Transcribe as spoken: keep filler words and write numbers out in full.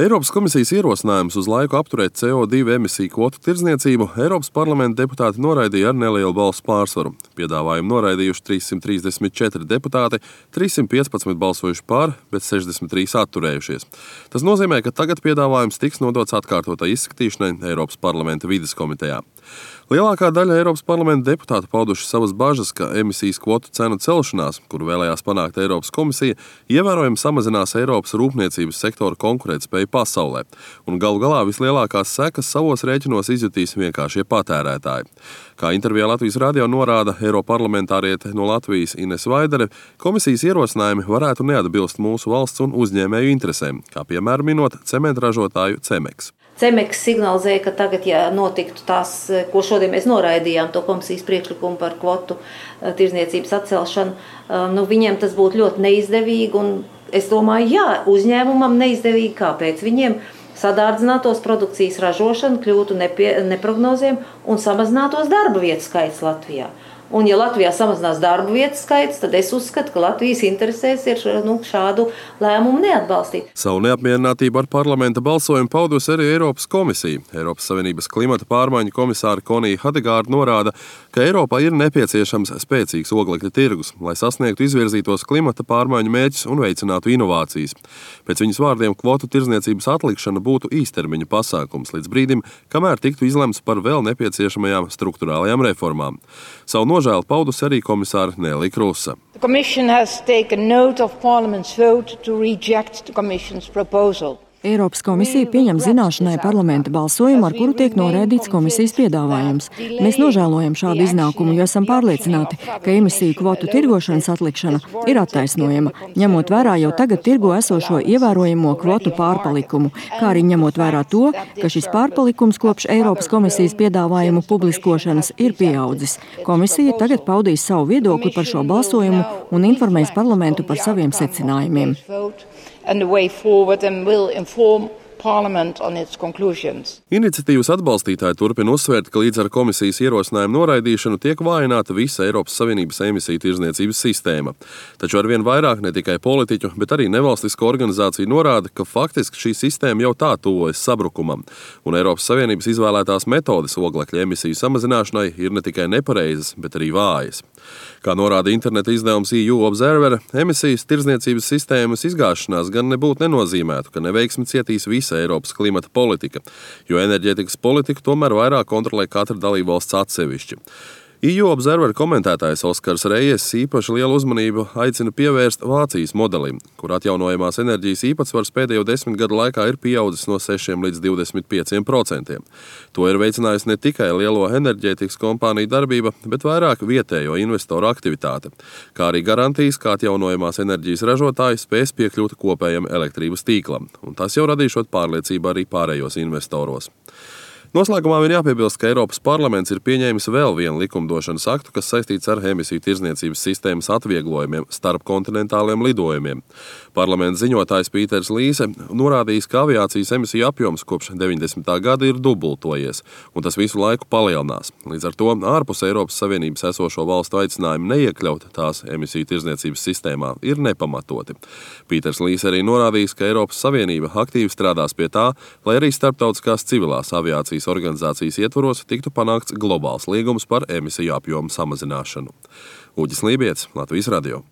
Eiropas komisijas ierosinājums uz laiku apturēt C O divi emisiju kvotu tirdzniecību Eiropas parlamenta deputāti noraidīja ar nelielu balsu pārsvaru. Piedāvājumu noraidījuši trīssimt trīsdesmit četri deputāti, trīssimt piecpadsmit balsojuši par, bet sešdesmit trīs atturējušies. Tas nozīmē, ka tagad piedāvājums tiks nodots atkārtotai izskatīšanai Eiropas parlamenta vides komitejā. Lielākā daļa Eiropas parlamenta deputātu pauduši savas bažas, ka emisijas kvotu cenu celšanās, kuru vēlējās panākt Eiropas komisija, ievērojami samazinās Eiropas rūpniecības sektora konkurētspēju pasaulē, un galu galā vislielākās sekas savos rēķinos izjutīs vienkāršie patērētāji. Kā intervijā Latvijas radio norāda eiroparlamentāriete no Latvijas Ines Vaidere, komisijas ierosinājumi varētu neatbilst mūsu valsts un uzņēmēju interesēm, kā piemēram minot cementražotāju Cemeks. Cemeks signalizēja, ka tagad, ja notiktu tās, ko šodien mēs noraidījām, to komisijas priekšlikumu par kvotu tirdzniecības atcelšanu, nu, viņiem tas būtu ļoti neizdevīgi, un es domāju, jā, uzņēmumam neizdevīgi, kāpēc viņiem sadārdzinātos produkcijas ražošana, kļūtu nepie, neprognozējama un samazinātos darba vietu skaits Latvijā. Un, ja Latvijā samazinās darba vietu skaits, tad es uzskatu, ka Latvijas interesēs ir nu, šādu lēmumu neatbalstīt. Savu neapmierinātību ar parlamenta balsojumu paudusi arī Eiropas komisija. Eiropas Savienības klimata pārmaiņu komisāra Konija Hedegārda norāda, ka Eiropā ir nepieciešams spēcīgs oglekļa tirgus, lai sasniegtu izvirzītos klimata pārmaiņu mērķus un veicinātu inovācijas. Pēc viņas vārdiem kvotu tirdzniecības atlikšana būtu īstermiņa pasākums līdz brīdim, kamēr tiktu izlemts par vēl nepieciešamajām strukturālajām reformām. Savu nožēlu paudusi arī komisāra Nelī Krusa. The Commission has taken note of Parliament's vote to reject the Commission's proposal. Eiropas komisija pieņem zināšanai parlamenta balsojumu, ar kuru tiek noraidīts komisijas piedāvājums. Mēs nožēlojam šādu iznākumu, jo esam pārliecināti, ka emisiju kvotu tirgošanas atlikšana ir attaisnojama, ņemot vērā jau tagad tirgo esošo ievērojamo kvotu pārpalikumu, kā arī ņemot vērā to, ka šis pārpalikums kopš Eiropas komisijas piedāvājumu publiskošanas ir pieaudzis. Komisija tagad paudīs savu viedokli par šo balsojumu un informēs parlamentu par saviem secinājumiem. And the way forward and will inform Parliament on its conclusions. Iniciatīvas atbalstītāji turpina uzsvērt, ka līdz ar komisijas ierosinājumu noraidīšanu tiek vājināta visa Eiropas Savienības emisiju tirdzniecības sistēma. Taču arvien vairāk ne tikai politiķu, bet arī nevalstisko organizāciju norāda, ka faktiski šī sistēma jau tā tuvojas sabrukumam, un Eiropas Savienības izvēlētās metodes oglekļa emisiju samazināšanai ir ne tikai nepareizas, bet arī vājas. Kā norāda interneta izdevums E U Observer, emisijas tirdzniecības sistēmas izgāšanās gan nebūtu nenozīmētu, ka neveiksmi cietīs visa Eiropas klimata politika, jo enerģētikas politiku tomēr vairāk kontrolē katra dalībvalsts atsevišķi. E U Observer komentētājs Oskars Rejes īpaši lielu uzmanību aicina pievērst Vācijas modelim, kur atjaunojamās enerģijas īpatsvars pēdējo desmit gadu laikā ir pieaudzis no sešiem līdz divdesmit pieciem procentiem. To ir veicinājusi ne tikai lielo enerģētikas kompāniju darbība, bet vairāk vietējo investoru aktivitāte, kā arī garantijas, ka atjaunojamās enerģijas ražotāji spēs piekļūt kopējam elektrības tīklam, un tas jau radīšot pārliecību arī pārējos investoros. Noslēgumā vien jāpiebilst, ka Eiropas parlaments ir pieņēmis vēl vienu likumdošanas aktu, kas saistīts ar emisiju tirdzniecības sistēmas atvieglojumiem starp kontinentāliem lidojumiem. Parlamenta ziņotājs Pīters Līse norādījis, ka aviācijas emisiju apjoms kopš deviņdesmitā gada ir dubultojies, un tas visu laiku palielinās. Līdz ar to ārpus Eiropas Savienības esošo valstu aicinājumu neiekļaut tās emisiju tirdzniecības sistēmā ir nepamatoti. Pīters Līse arī norādījis, ka Eiropas Savienība aktīvi strādās pie tā, lai arī starptautiskās civilās aviācijas organizācijas ietvaros tiktu panākts globāls līgums par emisiju apjomu samazināšanu. Uģis Lībietis, Latvijas radio.